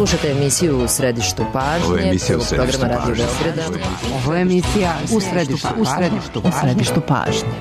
Slušajte emisiju U središtu pažnje. Ovo je emisija U središtu programa Radio pažnje. Beograda. Ovo je emisija U središtu pažnje.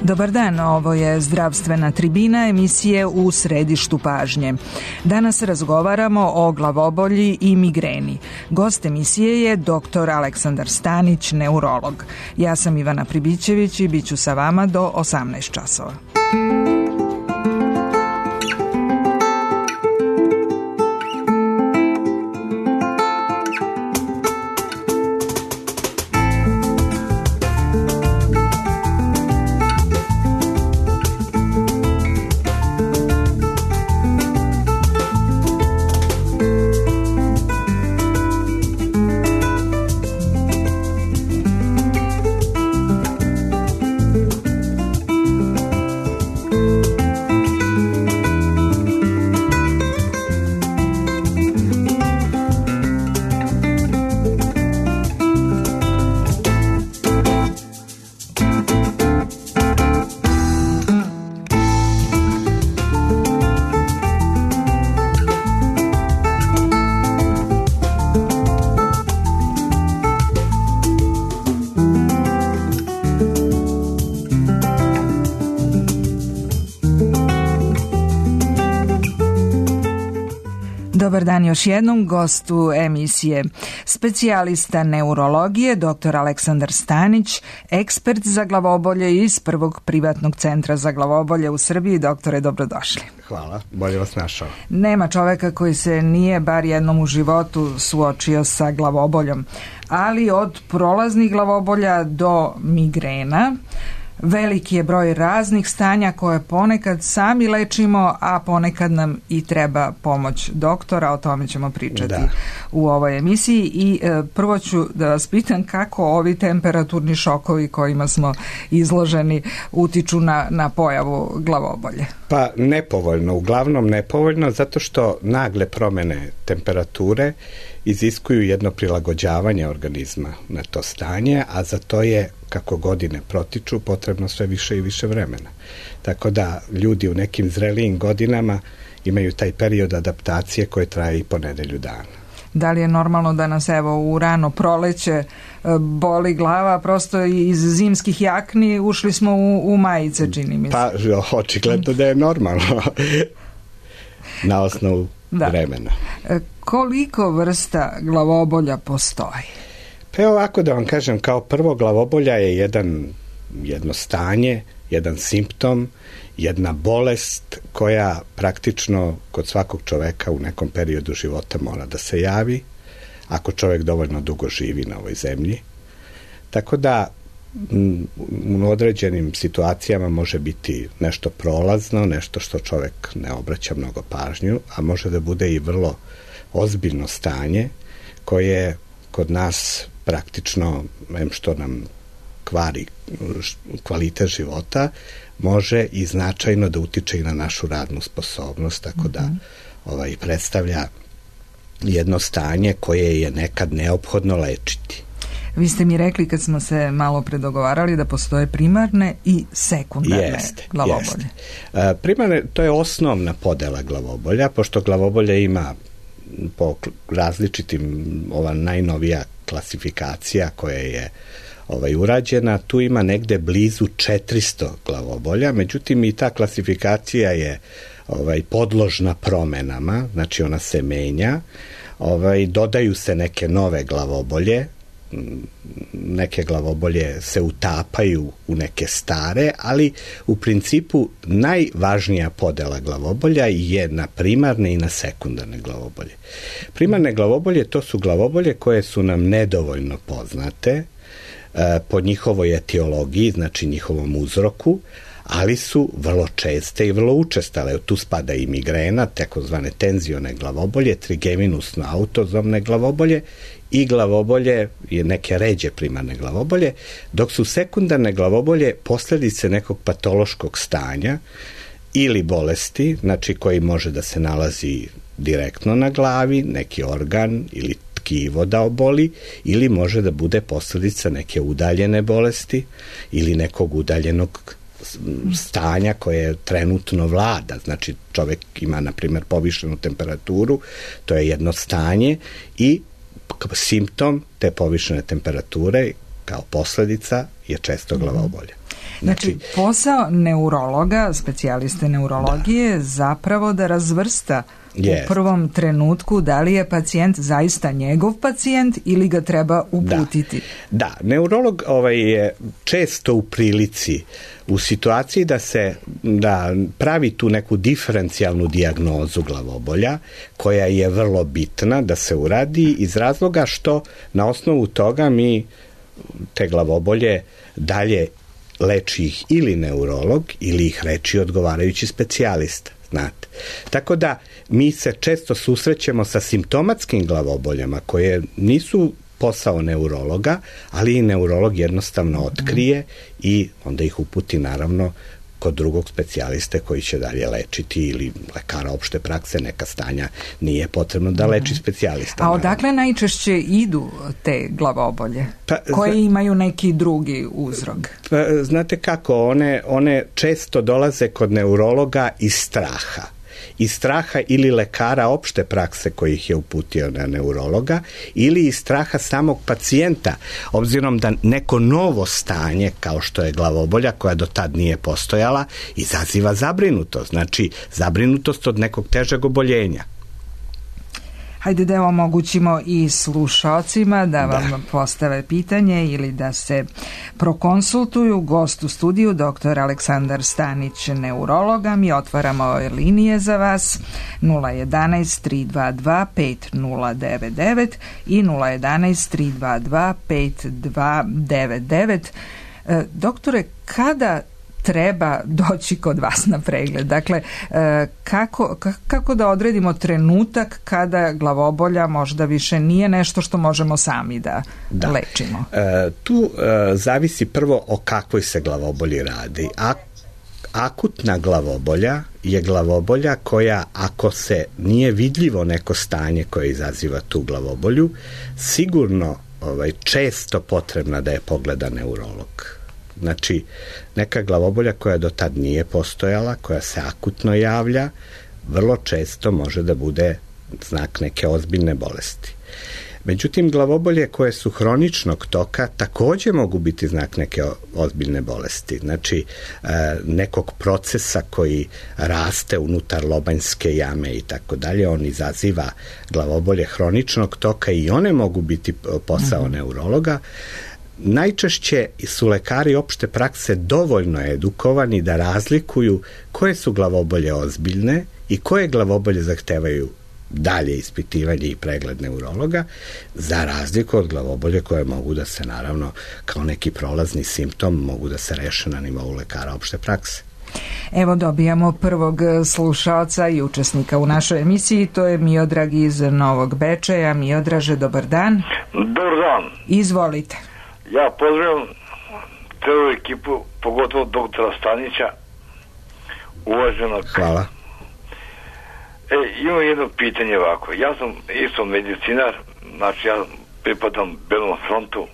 Dobar dan, ovo je zdravstvena tribina emisije U središtu pažnje. Danas razgovaramo o glavobolji i migreni. Gost emisije je dr. Aleksandar Stanić, neurolog. Ja sam Ivana Pribićević i bit ću sa vama do 18 časova. Dobar dan još jednom gostu emisije. Specijalista neurologije, dr. Aleksandar Stanić, ekspert za glavobolje iz prvog privatnog centra za glavobolje u Srbiji. Doktore, dobrodošli. Hvala, bolje vas našao. Nema čoveka koji se nije bar jednom u životu suočio sa glavoboljom, ali od prolaznih glavobolja do migrena veliki je broj raznih stanja koje ponekad sami lečimo, a ponekad nam i treba pomoć doktora. O tome ćemo pričati u ovoj emisiji. I prvo ću da vas pitam kako ovi temperaturni šokovi kojima smo izloženi utiču na pojavu glavobolje. Pa nepovoljno, uglavnom nepovoljno, zato što nagle promene temperature iziskuju jedno prilagođavanje organizma na to stanje, a za to je, kako godine protiču, potrebno sve više i više vremena. Tako da ljudi u nekim zrelijim godinama imaju taj period adaptacije koje traje i po nedelju dana. Da li je normalno da nas evo u rano proleće boli glava, prosto iz zimskih jakni ušli smo u majice, čini mi se. Pa očigledno da je normalno na osnovu vremena. Koliko vrsta glavobolja postoji? Pa ovako da vam kažem, kao prvo glavobolja je jedno stanje, jedan simptom, jedna bolest koja praktično kod svakog čoveka u nekom periodu života mora da se javi, ako čovjek dovoljno dugo živi na ovoj zemlji. Tako da u određenim situacijama može biti nešto prolazno, nešto što čovjek ne obraća mnogo pažnju, a može da bude i vrlo ozbiljno stanje koje kod nas praktično, što nam kvari kvalitet života, može i značajno da utiče i na našu radnu sposobnost, tako da predstavlja jedno stanje koje je nekad neophodno lečiti. Vi ste mi rekli kad smo se malo predogovarali da postoje primarne i sekundarne glavobolje. Primarne, to je osnovna podela glavobolja, pošto glavobolje ima po različitim, ova najnovija klasifikacija koja je urađena, tu ima negde blizu 400 glavobolja, međutim i ta klasifikacija je podložna promenama, znači ona se menja, dodaju se neke nove glavobolje, neke glavobolje se utapaju u neke stare, ali u principu najvažnija podela glavobolja je na primarne i na sekundarne glavobolje. Primarne glavobolje, to su glavobolje koje su nam nedovoljno poznate, po njihovoj etiologiji, znači njihovom uzroku, ali su vrlo česte i vrlo učestale. Tu spada i migrena, takozvane tenzione glavobolje, trigeminusno autozomne glavobolje i glavobolje, neke ređe primarne glavobolje, dok su sekundarne glavobolje posljedice nekog patološkog stanja ili bolesti, znači koji može da se nalazi direktno na glavi, neki organ ili tkivo da oboli, ili može da bude posljedica neke udaljene bolesti ili nekog udaljenog stanja koje trenutno vlada. Znači čovjek ima, na primjer, povišenu temperaturu, to je jedno stanje i simptom te povišene temperature kao posljedica je često glavobolja. Znači, posao neurologa, specijaliste neurologije, je zapravo da razvrsta u prvom trenutku da li je pacijent zaista njegov pacijent ili ga treba uputiti. Da, neurolog je često u prilici, u situaciji da pravi tu neku diferencijalnu dijagnozu glavobolja, koja je vrlo bitna da se uradi iz razloga što na osnovu toga mi te glavobolje dalje leči ih ili neurolog ili ih leči odgovarajući specijalista. Znate. Tako da mi se često susrećemo sa simptomatskim glavoboljama koje nisu posao neurologa, ali i neurolog jednostavno otkrije i onda ih uputi naravno kod drugog specijaliste koji će dalje lečiti, ili lekara opšte prakse, neka stanja nije potrebno da leči specijalista. A odakle najčešće idu te glavobolje? Koje imaju neki drugi uzrok? Znate kako, one često dolaze kod neurologa iz straha. Iz straha ili lekara opšte prakse koji ih je uputio na neurologa, ili iz straha samog pacijenta, obzirom da neko novo stanje kao što je glavobolja koja do tad nije postojala izaziva zabrinutost, znači zabrinutost od nekog težeg oboljenja. Hajde da omogućimo i slušalcima da vam postave pitanje ili da se prokonsultuju. Gost u studiju, dr. Aleksandar Stanić, neurologa. Mi otvaramo linije za vas 011 322 5099 i 011 322 5299. Doktore, kada treba doći kod vas na pregled? Dakle, kako da odredimo trenutak kada glavobolja možda više nije nešto što možemo sami da lečimo? Tu zavisi prvo o kakvoj se glavobolji radi. Akutna glavobolja je glavobolja koja, ako se nije vidljivo neko stanje koje izaziva tu glavobolju, sigurno često potrebna da je pogleda neurolog. Znači, neka glavobolja koja do tad nije postojala, koja se akutno javlja, vrlo često može da bude znak neke ozbiljne bolesti. Međutim, glavobolje koje su hroničnog toka također mogu biti znak neke ozbiljne bolesti. Znači, nekog procesa koji raste unutar lobanjske jame i tako dalje, on izaziva glavobolje hroničnog toka i one mogu biti posao neurologa. Najčešće su lekari opšte prakse dovoljno edukovani da razlikuju koje su glavobolje ozbiljne i koje glavobolje zahtevaju dalje ispitivanje i pregled neurologa, za razliku od glavobolje koje mogu da se, naravno, kao neki prolazni simptom, mogu da se reše na nivou lekara opšte prakse. Evo, dobijamo prvog slušalca i učesnika u našoj emisiji, to je Miodrag iz Novog Bečeja. Miodraže, dobar dan. Dobar dan. Izvolite. Ja pozdravljam celu ekipu, pogotovo doktora Stanića, uvaženog. Hvala. Imam jedno pitanje ovako. Ja sam isto medicinar, znači ja pripadam Belom frontu,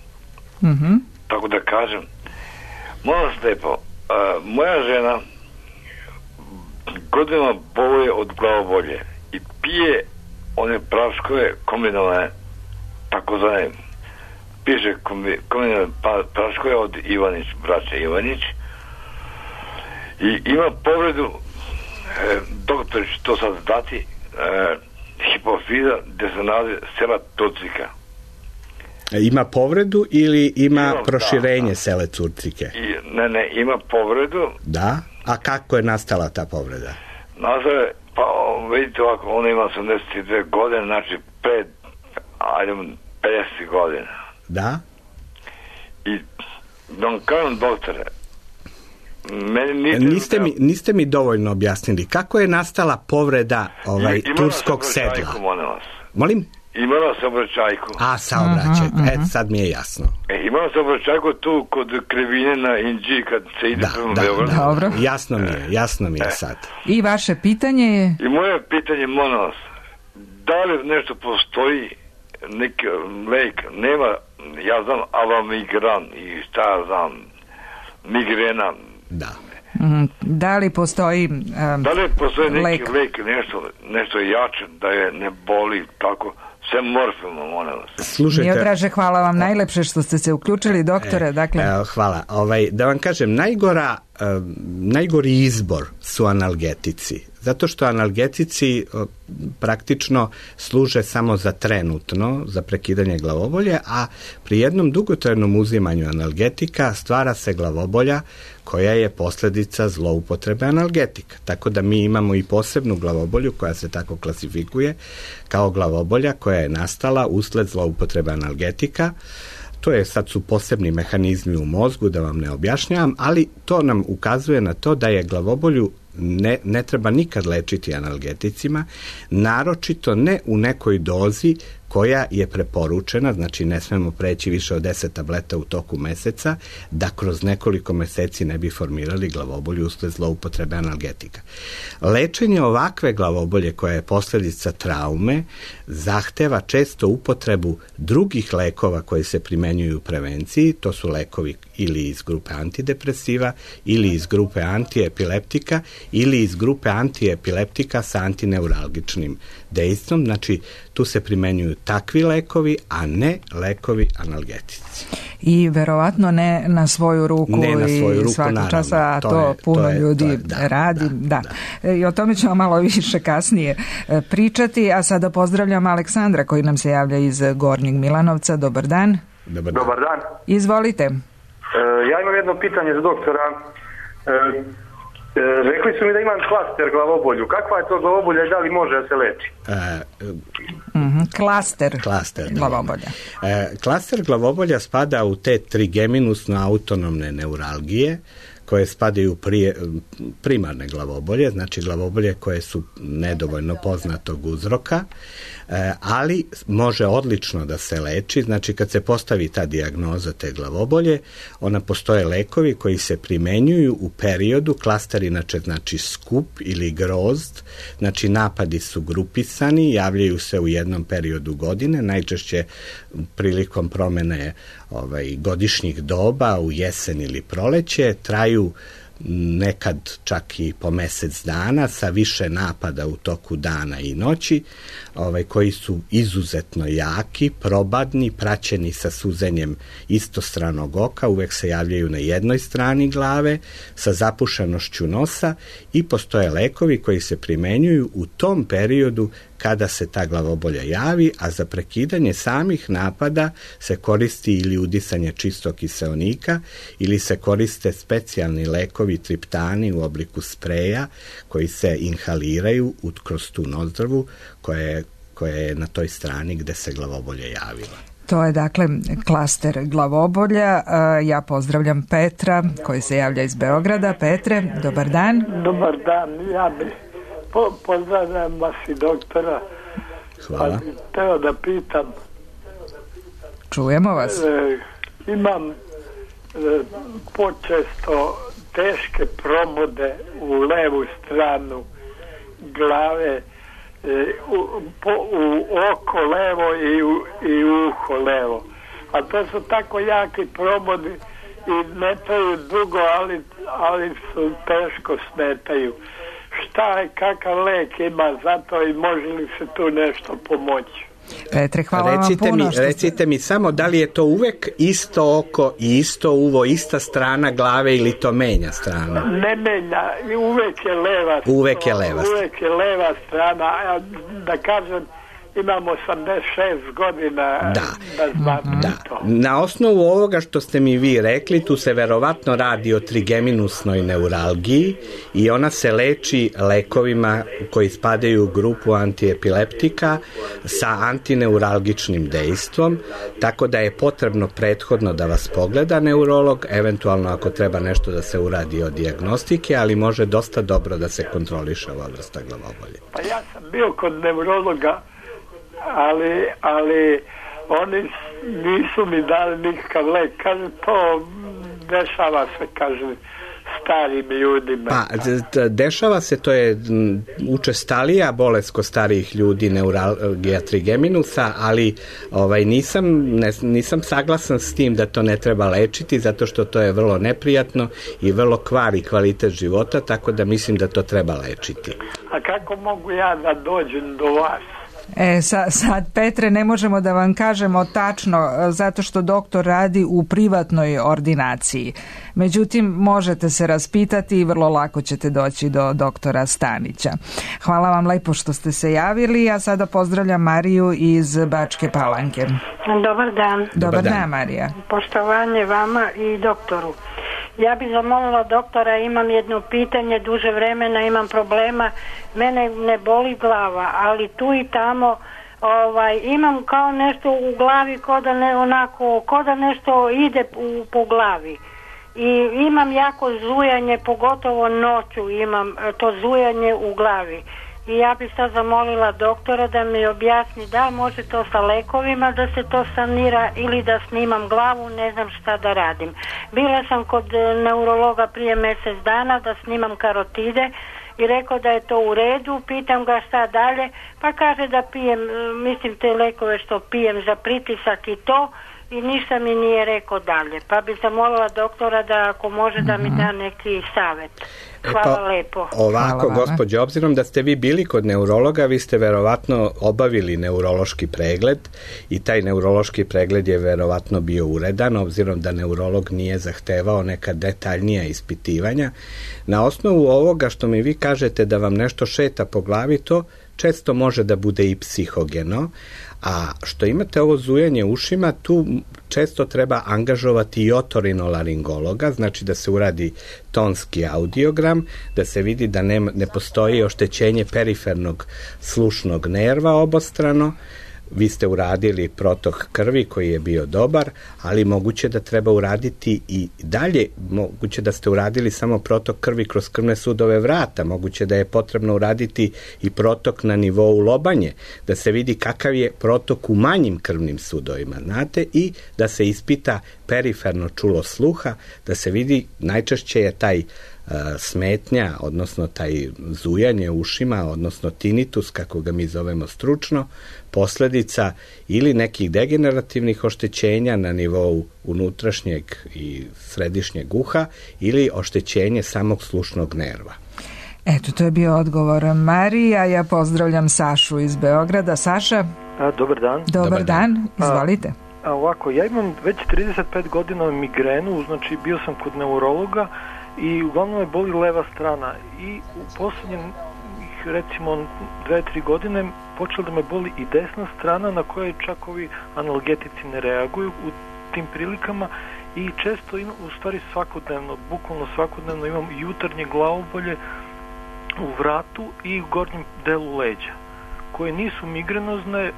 tako da kažem. Molim vas lijepo, moja žena godinama boluje od glavobolje i pije one praškove kombinovane, takozvane, piše kombinovane praškove od Ivanić, braće Ivanić, i ima povredu, doktor će to sad dati, hipofiza gdje se nalazi sela Turcika. Ima povredu ili ima proširenje sele Turcike? Ne, ima povredu. Da? A kako je nastala ta povreda? Nastala, pa vidite ovako, ona ima 82 godine, znači 50 godina. Da? I da vam kažem, doktore, niste mi dovoljno objasnili kako je nastala povreda turskog sedla. Molim? Imala saobraćajku. Saobraćaj. Sad mi je jasno. Imala saobraćajku tu kod Krivine na Inđi kad se ide prema Beogradu. Dobro. Jasno mi je sad. I vaše pitanje je? I moje pitanje, molim vas, da li nešto postoji neki lek, nema, ja znam avamigran i šta ja znam, migrena. Da. Da li postoji neki lek, nešto jače, da je ne boli, tako, sve morfimo, molim vas. Slušajte, Miodraže, hvala vam najlepše što ste se uključili, doktore. Hvala. Da vam kažem, najgori izbor su analgetici. Zato što analgetici praktično služe samo za trenutno, za prekidanje glavobolje, a pri jednom dugotrajnom uzimanju analgetika stvara se glavobolja koja je posljedica zloupotrebe analgetika. Tako da mi imamo i posebnu glavobolju koja se tako klasifikuje kao glavobolja koja je nastala usled zloupotrebe analgetika. Sad su posebni mehanizmi u mozgu, da vam ne objašnjavam, ali to nam ukazuje na to da je glavobolju ne treba nikad lečiti analgeticima, naročito ne u nekoj dozi koja je preporučena, znači ne smemo preći više od 10 tableta u toku meseca, da kroz nekoliko meseci ne bi formirali glavobolju usled zloupotrebe analgetika. Lečenje ovakve glavobolje koja je posljedica traume zahteva često upotrebu drugih lekova koji se primenjuju u prevenciji, to su lekovi ili iz grupe antidepresiva, ili iz grupe antiepileptika, ili iz grupe antiepileptika sa antineuralgičnim dejstvom, znači tu se primenjuju takvi lekovi, a ne lekovi analgetici. I verovatno ne na svoju ruku i svaki čas, a to puno ljudi radi. Da. I o tome ćemo malo više kasnije pričati, a sada pozdravljam Aleksandra koji nam se javlja iz Gornjeg Milanovca. Dobar dan. Dobar dan. Izvolite. Ja imam jedno pitanje za doktora. Rekli su mi da imam klaster glavobolju. Kakva je to glavobolja i da li može da se leči? Klaster glavobolja. Klaster glavobolja spada u te trigeminusno autonomne neuralgije koje spadaju primarne glavobolje, znači glavobolje koje su nedovoljno poznatog uzroka, ali može odlično da se leči. Znači kad se postavi ta dijagnoza te glavobolje, ona postoje lekovi koji se primenjuju u periodu, klaster inače znači skup ili grozd, znači napadi su grupisani, javljaju se u jednom periodu godine, najčešće prilikom promene godišnjih doba u jesen ili proleće, traju nekad čak i po mesec dana sa više napada u toku dana i noći, koji su izuzetno jaki, probadni, praćeni sa suzenjem istostranog oka, uvek se javljaju na jednoj strani glave, sa zapušenošću nosa i postoje lekovi koji se primenjuju u tom periodu kada se ta glavobolja javi, a za prekidanje samih napada se koristi ili udisanje čistog kiseonika ili se koriste specijalni lekovi triptani u obliku spreja koji se inhaliraju kroz tu nozdrvu koja je na toj strani gde se glavobolja javila. To je dakle klaster glavobolja. Ja pozdravljam Petra koji se javlja iz Beograda. Petre, dobar dan. Dobar dan, ja bih pozdravljam vas i doktora. Hvala. Teo da pitam. Čujemo vas. Imam počesto teške probode u levu stranu glave, u oko levo i u uho levo. A to su tako jaki probodi i ne traju dugo, ali su teško smetaju. Šta je, kakav lek ima za to i može li se tu nešto pomoći? Petre, hvala vam puno. Recite mi samo da li je to uvek isto oko i isto uvo, ista strana glave ili to menja strana? Ne menja, uvek je leva. Uvek je leva. Uvek je leva strana. Da kažem, imam 86 godina da znam to. Na osnovu ovoga što ste mi vi rekli, tu se verovatno radi o trigeminusnoj neuralgiji i ona se leči lekovima koji spadaju u grupu antiepileptika sa antineuralgičnim dejstvom, tako da je potrebno prethodno da vas pogleda neurolog, eventualno ako treba nešto da se uradi od dijagnostike, ali može dosta dobro da se kontroliše ova vrsta glavobolje. Pa ja sam bio kod neurologa, ali oni nisu mi dali nikakav lek. Kaže, to dešava se, kaže, starim ljudima. Pa, dešava se, to je učestalija bolest kod starijih ljudi, neuralgija trigeminusa, ali nisam saglasan s tim da to ne treba lečiti, zato što to je vrlo neprijatno i vrlo kvari kvalitet života, tako da mislim da to treba lečiti. A kako mogu ja da dođem do vas? Sad, Petre, ne možemo da vam kažemo tačno, zato što doktor radi u privatnoj ordinaciji. Međutim, možete se raspitati i vrlo lako ćete doći do doktora Stanića. Hvala vam lepo što ste se javili, a sada pozdravljam Mariju iz Bačke Palanke. Dobar dan. Dobar dan, Marija. Poštovanje vama i doktoru. Ja bih zamolila doktora, imam jedno pitanje, duže vremena imam problema, mene ne boli glava, ali tu i tamo imam kao nešto u glavi, ko da nešto ide po glavi. I imam jako zujanje, pogotovo noću imam to zujanje u glavi. I ja bih sad zamolila doktora da mi objasni da može to sa lekovima da se to sanira ili da snimam glavu, ne znam šta da radim. Bila sam kod neurologa prije mjesec dana da snimam karotide i rekao da je to u redu, pitam ga šta dalje, pa kaže da pijem, mislim te lekove što pijem za pritisak i to, i ništa mi nije rekao dalje. Pa bi zamolila doktora da ako može da mi da neki savjet. Hvala lepo. Ovako, gospođo, obzirom da ste vi bili kod neurologa, vi ste verovatno obavili neurološki pregled i taj neurološki pregled je verovatno bio uredan, obzirom da neurolog nije zahtevao neka detaljnija ispitivanja. Na osnovu ovoga što mi vi kažete da vam nešto šeta po glavi, to često može da bude i psihogeno, a što imate ovo zujanje ušima, tu često treba angažovati i otorinolaringologa, znači da se uradi tonski audiogram, da se vidi da ne postoji oštećenje perifernog slušnog nerva obostrano. Vi ste uradili protok krvi koji je bio dobar, ali moguće da treba uraditi i dalje, moguće da ste uradili samo protok krvi kroz krvne sudove vrata, moguće da je potrebno uraditi i protok na nivou lobanje, da se vidi kakav je protok u manjim krvnim sudovima, znate, i da se ispita periferno čulo sluha, da se vidi, najčešće je taj smetnja, odnosno taj zujanje ušima, odnosno tinnitus, kako ga mi zovemo stručno, posljedica ili nekih degenerativnih oštećenja na nivou unutrašnjeg i središnjeg uha ili oštećenje samog slušnog nerva. Eto, to je bio odgovor Marija. Ja pozdravljam Sašu iz Beograda. Saša? Dobar dan. Dobar dan, izvolite. Ovako, ja imam već 35 godina migrenu, znači bio sam kod neurologa i uglavnom me boli leva strana i u posljednjih recimo 2-3 godine počela da me boli i desna strana na kojoj čak ovi analgetici ne reaguju u tim prilikama i često u stvari svakodnevno, bukvalno svakodnevno imam jutarnje glavobolje u vratu i u gornjem delu leđa koje nisu migrenozne,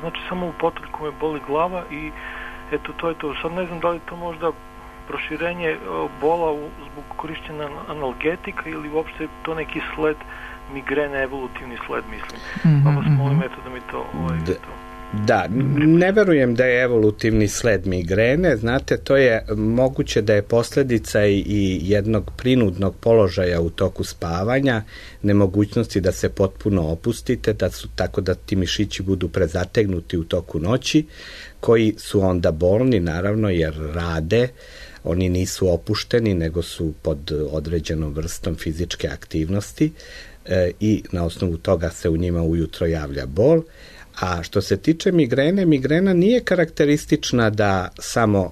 znači samo u potoljku me boli glava i eto to je to. Sad ne znam da li to možda proširenje bola zbog korišćenja analgetika ili uopšte to neki sled migrene, evolutivni sled, mislim. Pa vas molim eto da mi to... Da, ne verujem da je evolutivni sled migrene, znate, to je moguće da je posljedica i jednog prinudnog položaja u toku spavanja, nemogućnosti da se potpuno opustite, tako da ti mišići budu prezategnuti u toku noći, koji su onda bolni, naravno, jer rade, oni nisu opušteni, nego su pod određenom vrstom fizičke aktivnosti i na osnovu toga se u njima ujutro javlja bol. A što se tiče migrene, migrena nije karakteristična da samo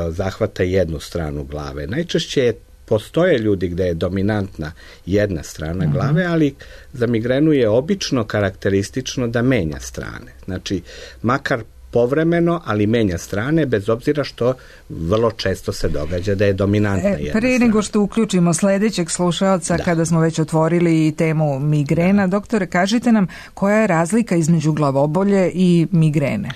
zahvata jednu stranu glave. Najčešće je postoje ljudi gde je dominantna jedna strana glave, ali za migrenu je obično karakteristično da menja strane. Znači, makar povremeno, ali menja strane, bez obzira što vrlo često se događa da je dominantna jedna strana. Prije nego što uključimo sledećeg slušaoca, kada smo već otvorili temu migrena, doktore, kažite nam koja je razlika između glavobolje i migrene?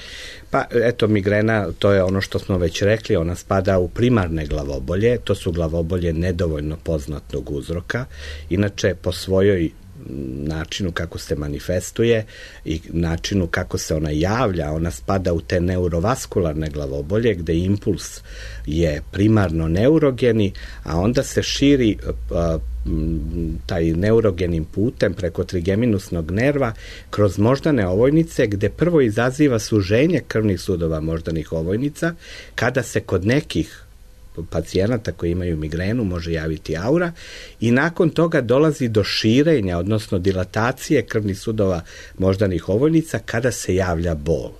Pa eto, migrena, to je ono što smo već rekli, ona spada u primarne glavobolje, to su glavobolje nedovoljno poznatog uzroka, inače po svojoj načinu kako se manifestuje i načinu kako se ona javlja, ona spada u te neurovaskularne glavobolje gde impuls je primarno neurogeni, a onda se širi taj neurogenim putem preko trigeminusnog nerva kroz moždane ovojnice, gde prvo izaziva suženje krvnih sudova moždanih ovojnica, kada se kod nekih pacijenata koji imaju migrenu može javiti aura i nakon toga dolazi do širenja, odnosno dilatacije krvnih sudova moždanih ovojnica kada se javlja bol.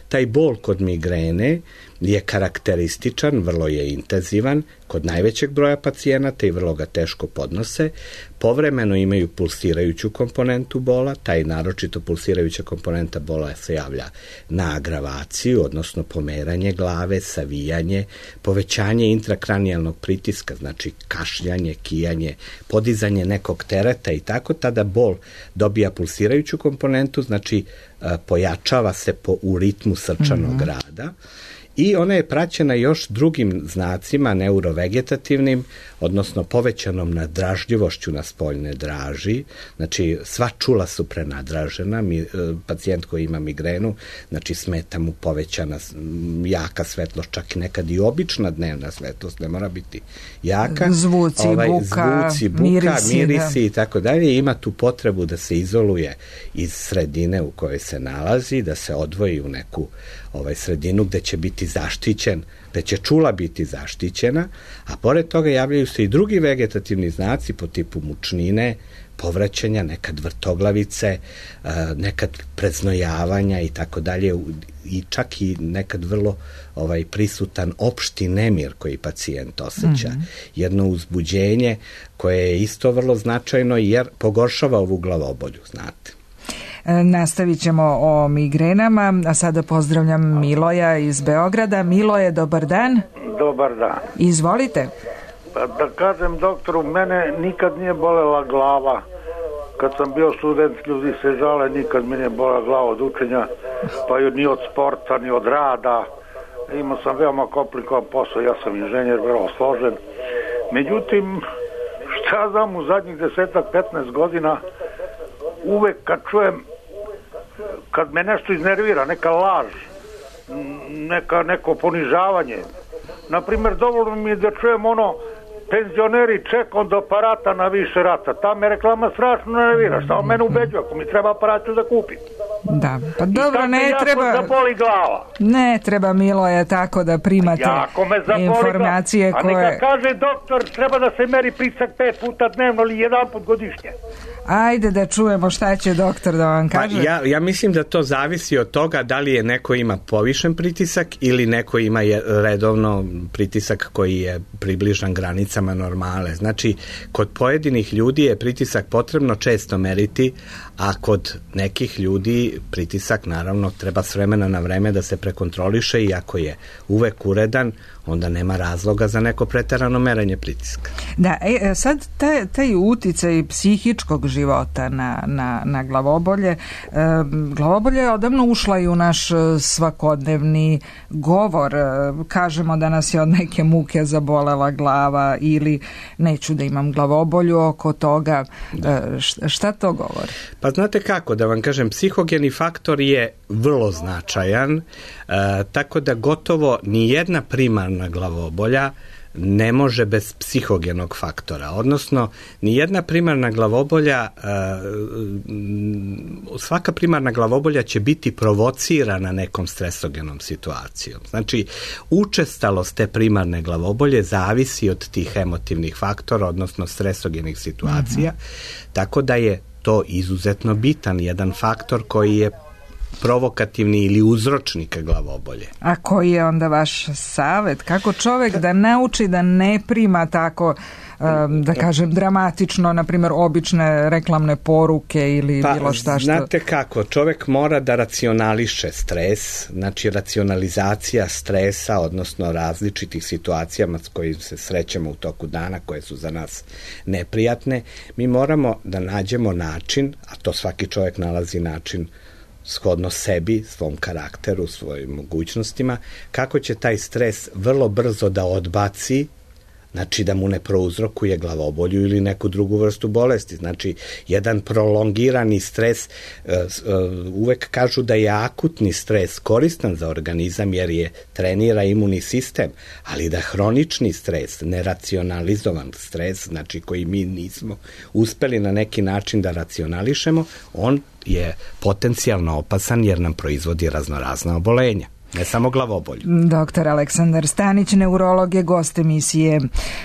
Taj bol kod migrene je karakterističan, vrlo je intenzivan kod najvećeg broja pacijenata i vrlo ga teško podnose. Povremeno imaju pulsirajuću komponentu bola, taj naročito pulsirajuća komponenta bola se javlja na agravaciju, odnosno pomeranje glave, savijanje, povećanje intrakranijalnog pritiska, znači kašljanje, kijanje, podizanje nekog tereta i tako, tada bol dobija pulsirajuću komponentu, znači pojačava se u ritmu srčanog rada. I ona je praćena još drugim znacima neurovegetativnim, odnosno povećanom nadražljivošću na spoljne draži. Znači, sva čula su prenadražena. Pacijent koji ima migrenu, znači smeta mu povećana jaka svetlost, čak i nekad i obična dnevna svetlost, ne mora biti jaka. Zvuci, buka, mirisi i tako dalje. Ima tu potrebu da se izoluje iz sredine u kojoj se nalazi, da se odvoji u neku sredinu gde će biti zaštićen, gde će čula biti zaštićena, a pored toga javljaju se i drugi vegetativni znaci po tipu mučnine, povraćanja, nekad vrtoglavice, nekad preznojavanja i tako dalje, i čak i nekad vrlo prisutan opšti nemir koji pacijent osjeća. Jedno uzbuđenje koje je isto vrlo značajno jer pogoršava ovu glavobolju, znate. Nastavit ćemo o migrenama, a sada pozdravljam Miloja iz Beograda. Miloje, dobar dan. Dobar dan. Izvolite. Da kažem doktoru, mene nikad nije bolela glava. Kad sam bio student, ljudi se žale, nikad mi nije bolela glava od učenja, pa ni od sporta, ni od rada. Imao sam veoma komplikovan posao, ja sam inženjer, vrlo složen. Međutim, šta znam, u zadnjih 10-15 godina uvek kad čujem, kad me nešto iznervira, neka laž, neko ponižavanje, naprimjer, dovoljno mi je da čujem penzioneri čekam do aparata na više rata, ta me reklama strašno nervira, šta on mene ubeđuje, ako mi treba aparat ću da kupim. Da, pa dobro, ne treba da boli glava. Ne treba, Miloje, tako da primate informacije koje... A neka kaže doktor, treba da se meri pritisak 5 puta dnevno ili 1 put godišnje. Ajde da čujemo šta će doktor da vam kaže. Pa ja mislim da to zavisi od toga da li je neko ima povišen pritisak ili neko ima redovno pritisak koji je približan granicama normale. Znači, kod pojedinih ljudi je pritisak potrebno često meriti, a kod nekih ljudi pritisak naravno treba s vremena na vreme da se prekontroliše i ako je uvek uredan, onda nema razloga za neko preterano merenje pritiska. Da, sad taj uticaj psihičkog života na glavobolje, glavobolje je odavno ušla i u naš svakodnevni govor. Kažemo da nas je od neke muke zabolela glava ili neću da imam glavobolju oko toga. Šta to govori? Pa znate kako, da vam kažem, psihogeni faktor je vrlo značajan, tako da gotovo ni jedna primarna glavobolja ne može bez psihogenog faktora, odnosno nijedna primarna glavobolja, svaka primarna glavobolja će biti provocirana nekom stresogenom situacijom. Znači, učestalost te primarne glavobolje zavisi od tih emotivnih faktora, odnosno stresogenih situacija, tako da je to izuzetno bitan jedan faktor koji je provokativni ili uzročnik glavobolje. A koji je onda vaš savjet? Kako čovjek da nauči da ne prima tako, da kažem, dramatično, na primjer, obične reklamne poruke ili bilo šta što... Znate kako, čovjek mora da racionališe stres, znači racionalizacija stresa, odnosno različitih situacijama s kojim se srećemo u toku dana, koje su za nas neprijatne. Mi moramo da nađemo način, a to svaki čovjek nalazi način shodno sebi, svom karakteru, svojim mogućnostima, kako će taj stres vrlo brzo da odbaci, znači da mu ne prouzrokuje glavobolju ili neku drugu vrstu bolesti. Znači, jedan prolongirani stres, uvek kažu da je akutni stres koristan za organizam jer je trenira imunni sistem, ali da hronični stres, neracionalizovan stres, znači koji mi nismo uspeli na neki način da racionališemo, on je potencijalno opasan jer nam proizvodi raznorazna obolenja. Ne samo glavobolju. Doktor Aleksandar Stanić, neurolog, je gost emisije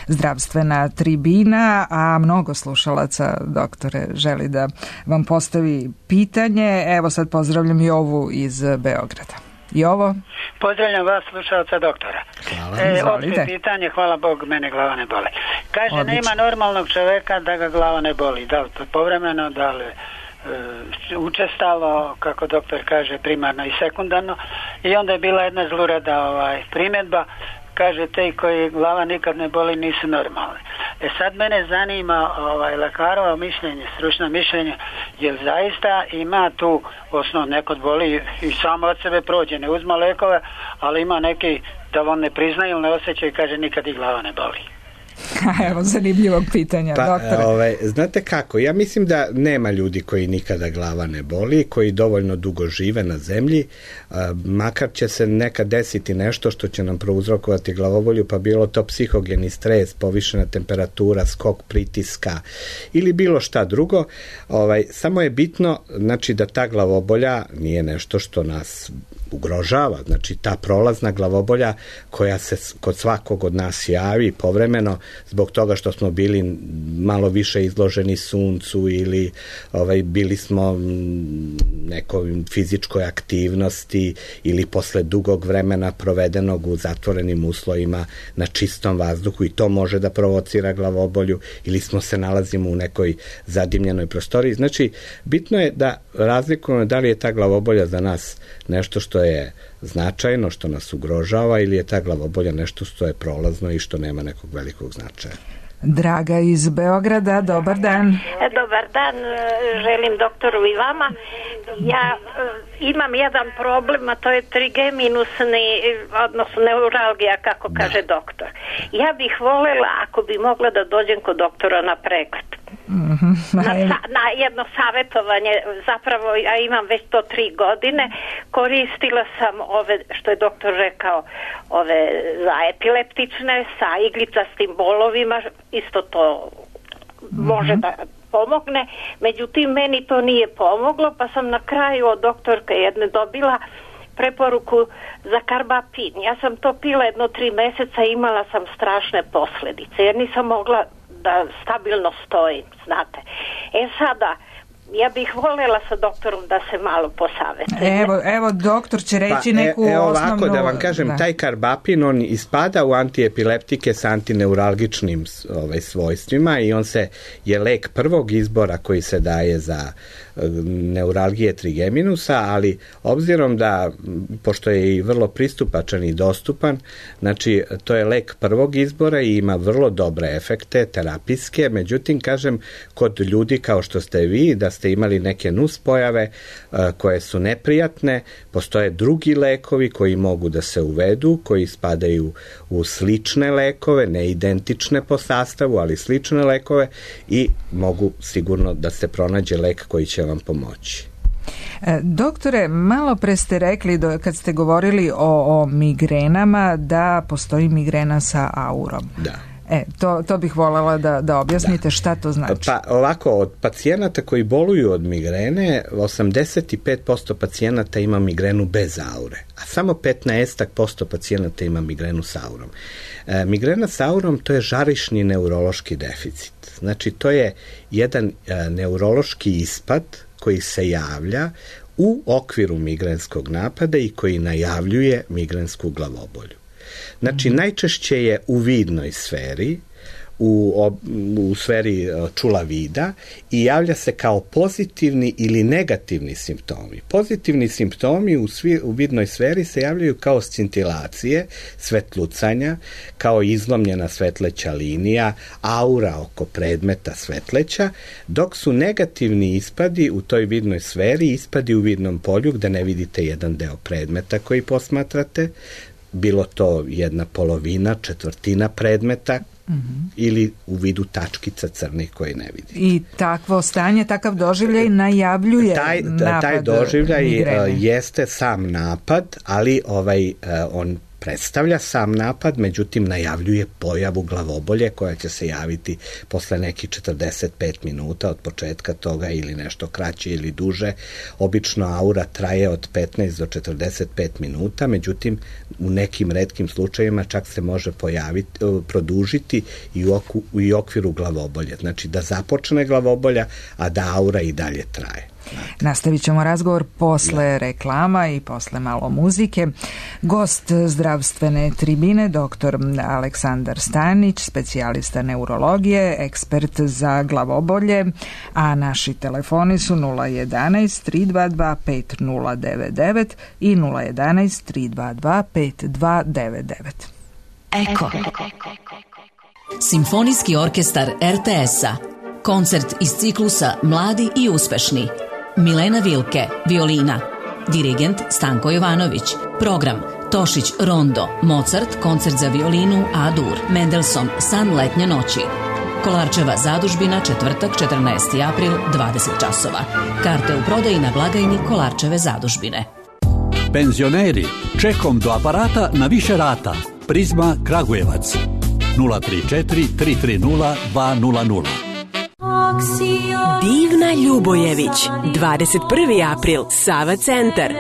Zdravstvena tribina, a mnogo slušalaca, doktore, želi da vam postavi pitanje. Evo sad pozdravljam Jovu iz Beograda. Jovo? Pozdravljam vas, slušalca doktora. Opće pitanje, hvala Bog, mene glava ne boli. Kaže, odlično. Nema normalnog čoveka da ga glava ne boli. Da li to povremeno, da li učestalo, kako doktor kaže, primarno i sekundarno. I onda je bila jedna zlurada primjedba, kaže, te koji glava nikad ne boli nisu normalni. Sad mene zanima lekarovo mišljenje, stručno mišljenje, jer zaista ima tu osnov, nekod boli i samo od sebe prođe, ne uzma lekove, ali ima neki da on ne priznaju ili ne osjeća i kaže nikad i glava ne boli. Evo, zanimljivog pitanja, doktore. Znate kako, ja mislim da nema ljudi koji nikada glava ne boli, koji dovoljno dugo žive na zemlji, makar će se nekad desiti nešto što će nam prouzrokovati glavobolju, pa bilo to psihogeni stres, povišena temperatura, skok pritiska ili bilo šta drugo. Samo je bitno, znači, da ta glavobolja nije nešto što nas ugrožava, znači ta prolazna glavobolja koja se kod svakog od nas javi povremeno zbog toga što smo bili malo više izloženi suncu ili bili smo nekoj fizičkoj aktivnosti ili posle dugog vremena provedenog u zatvorenim uslovima na čistom vazduhu i to može da provocira glavobolju ili smo se nalazimo u nekoj zadimljenoj prostoriji. Znači, bitno je da razlikujemo da li je ta glavobolja za nas nešto što je značajno, što nas ugrožava ili je ta glavobolja nešto što je prolazno i što nema nekog velikog značaja. Draga iz Beograda, dobar dan. Dobar dan, želim doktoru i vama. Ja imam jedan problem, a to je trigeminusni, odnosno neuralgija, kako kaže doktor. Ja bih voljela, ako bi mogla, da dođem kod doktora na pregled. Na jedno savjetovanje, zapravo ja imam već to 3 godine, koristila sam ove, što je doktor rekao, ove za epileptične sa iglicastim bolovima, isto to može da pomogne, međutim meni to nije pomoglo, pa sam na kraju od doktorke jedne dobila preporuku za karbapin. Ja sam to pila jedno 3 mjeseca i imala sam strašne posljedice jer nisam mogla da stabilno stojim, znate. Sada, ja bih voljela sa doktorom da se malo posavjetuje. Evo, doktor će reći neku osnovnu... Ovako da vam kažem, taj karbapin, on ispada u antiepileptike sa antineuralgičnim svojstvima i on je lek prvog izbora koji se daje za neuralgije trigeminusa, ali obzirom da, pošto je i vrlo pristupačan i dostupan, znači to je lek prvog izbora i ima vrlo dobre efekte terapijske, međutim, kažem, kod ljudi kao što ste vi, da ste imali neke nuspojave koje su neprijatne, postoje drugi lekovi koji mogu da se uvedu, koji spadaju u slične lekove, ne identične po sastavu, ali slične lekove i mogu sigurno da se pronađe lek koji će vam pomoći. Doktore, malo pre ste rekli kad ste govorili o migrenama da postoji migrena sa aurom. Da. To bih voljela da objasnite šta to znači. Pa ovako, od pacijenata koji boluju od migrene, 85% pacijenata ima migrenu bez aure, a samo 15% pacijenata ima migrenu sa aurom. Migrena sa aurom to je žarišni neurološki deficit. Znači to je jedan neurološki ispad koji se javlja u okviru migrenskog napada i koji najavljuje migrensku glavobolju. Znači, najčešće je u vidnoj sferi, u sferi čula vida i javlja se kao pozitivni ili negativni simptomi. Pozitivni simptomi u vidnoj sferi se javljaju kao scintilacije, svetlucanja, kao izlomljena svetleća linija, aura oko predmeta svetleća, dok su negativni ispadi u toj vidnoj sferi, ispadi u vidnom polju gde ne vidite jedan deo predmeta koji posmatrate, bilo to jedna polovina, četvrtina predmeta, ili u vidu tačkica crnih koje ne vidite. I takvo stanje, takav doživljaj najavljuje napad taj doživljaj migrene. Jeste sam napad, ali on predstavlja sam napad, međutim najavljuje pojavu glavobolje koja će se javiti posle nekih 45 minuta od početka toga ili nešto kraće ili duže. Obično aura traje od 15 do 45 minuta, međutim u nekim retkim slučajevima čak se može produžiti i u okviru glavobolje. Znači da započne glavobolja, a da aura i dalje traje. Nastavit ćemo razgovor posle reklama i posle malo muzike. Gost zdravstvene tribine, dr. Aleksandar Stanić, specijalista neurologije, ekspert za glavobolje, a naši telefoni su 011 322 5099 i 011 322 5299. Eko. Simfonijski orkestar RTS-a. Koncert iz ciklusa Mladi i uspešni. Milena Vilke, violina. Dirigent Stanko Jovanović. Program Tošić Rondo, Mozart, koncert za violinu A-dur, Mendelssohn, San letnje noći. Kolarčeva zadužbina, četvrtak, 14. april, 20 časova. Karte u prodaji na blagajni Kolarčeve zadužbine. Penzioneri, čekom do aparata na više rata. Prizma Kragujevac. 034 330 200. Divna Ljubojević, 21. april, Sava centar,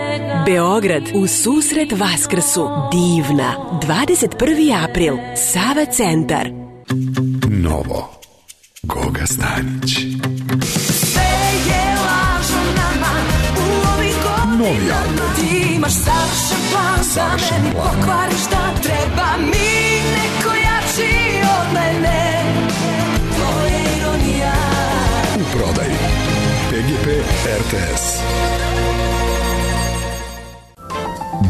Beograd, u susret Vaskrsu. Divna, 21. april, Sava centar. Novo, Goga Stanić. Novi album. Ti imaš savršen plan, za meni pokvariš da treba mi neko jači od mene. To je ironija. U prodaji PGP RTS.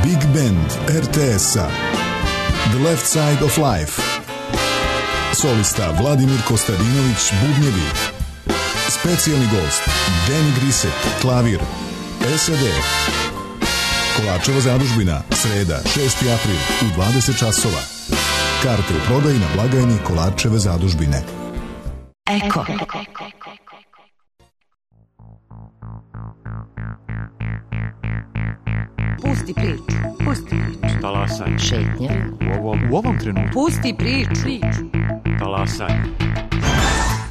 Big Band RTS-a The Left Side of Life. Solista Vladimir Kostadinović, bubnjevi. Specijalni gost Danny Grisek, klavir. SAD. Kolarčeva zadužbina, sreda, 6. april u 20 časova. Karte u prodaji na blagajni Kolarčeve zadužbine. Eko. Pusti priču. Talasanje. Šetnja. U ovom trenutku. Pusti priču. Talasanje.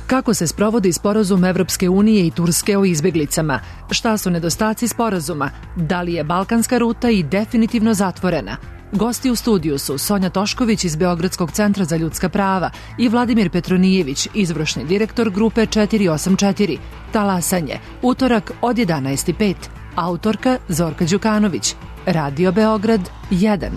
Kako se sprovodi sporazum Evropske unije i Turske o izbeglicama? Šta su nedostaci sporazuma? Da li je balkanska ruta i definitivno zatvorena? Gosti u studiju su Sonja Tošković iz Beogradskog centra za ljudska prava i Vladimir Petronijević, izvršni direktor grupe 484. Talasanje, utorak od 11:05. Autorka Zorka Đukanović. Radio Beograd 1.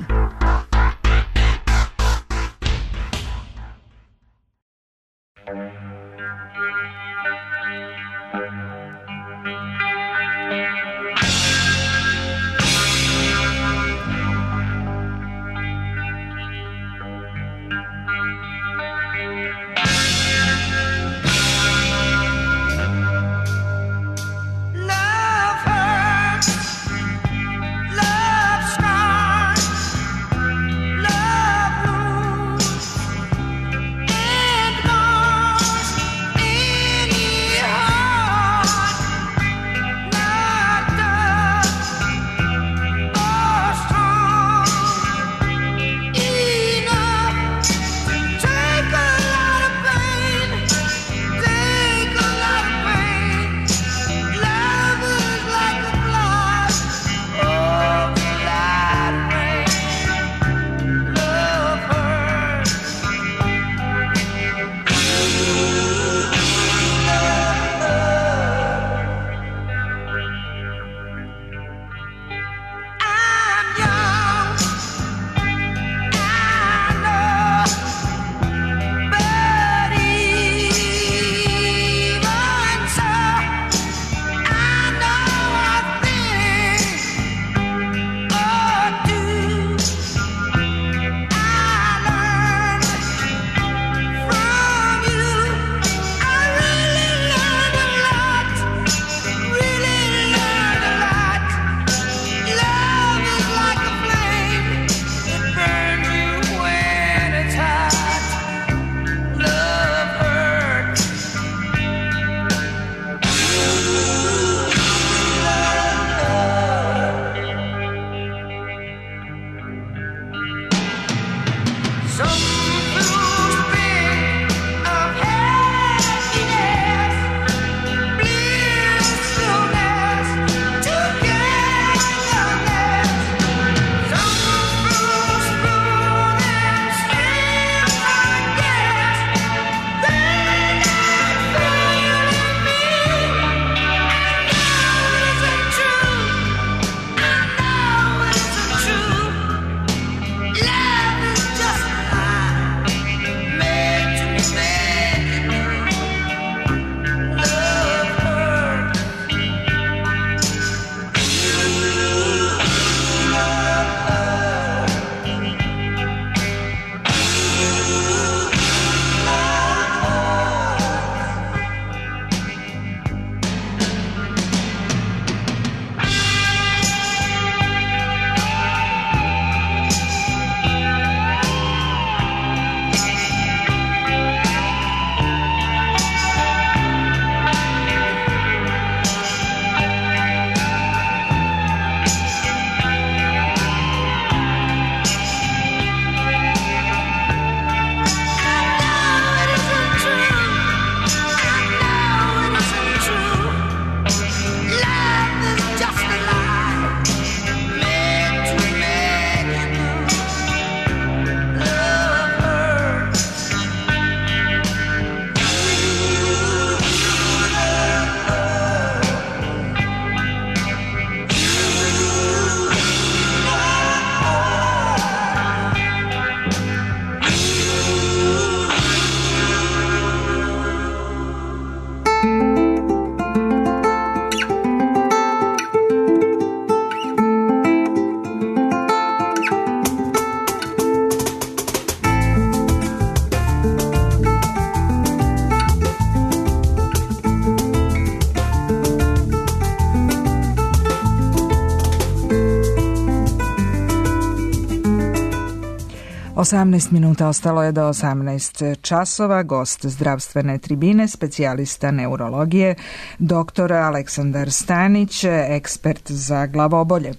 18 minuta ostalo je do 18 časova. Gost zdravstvene tribine, specijalista neurologije, dr. Aleksandar Stanić, ekspert za glavobolje.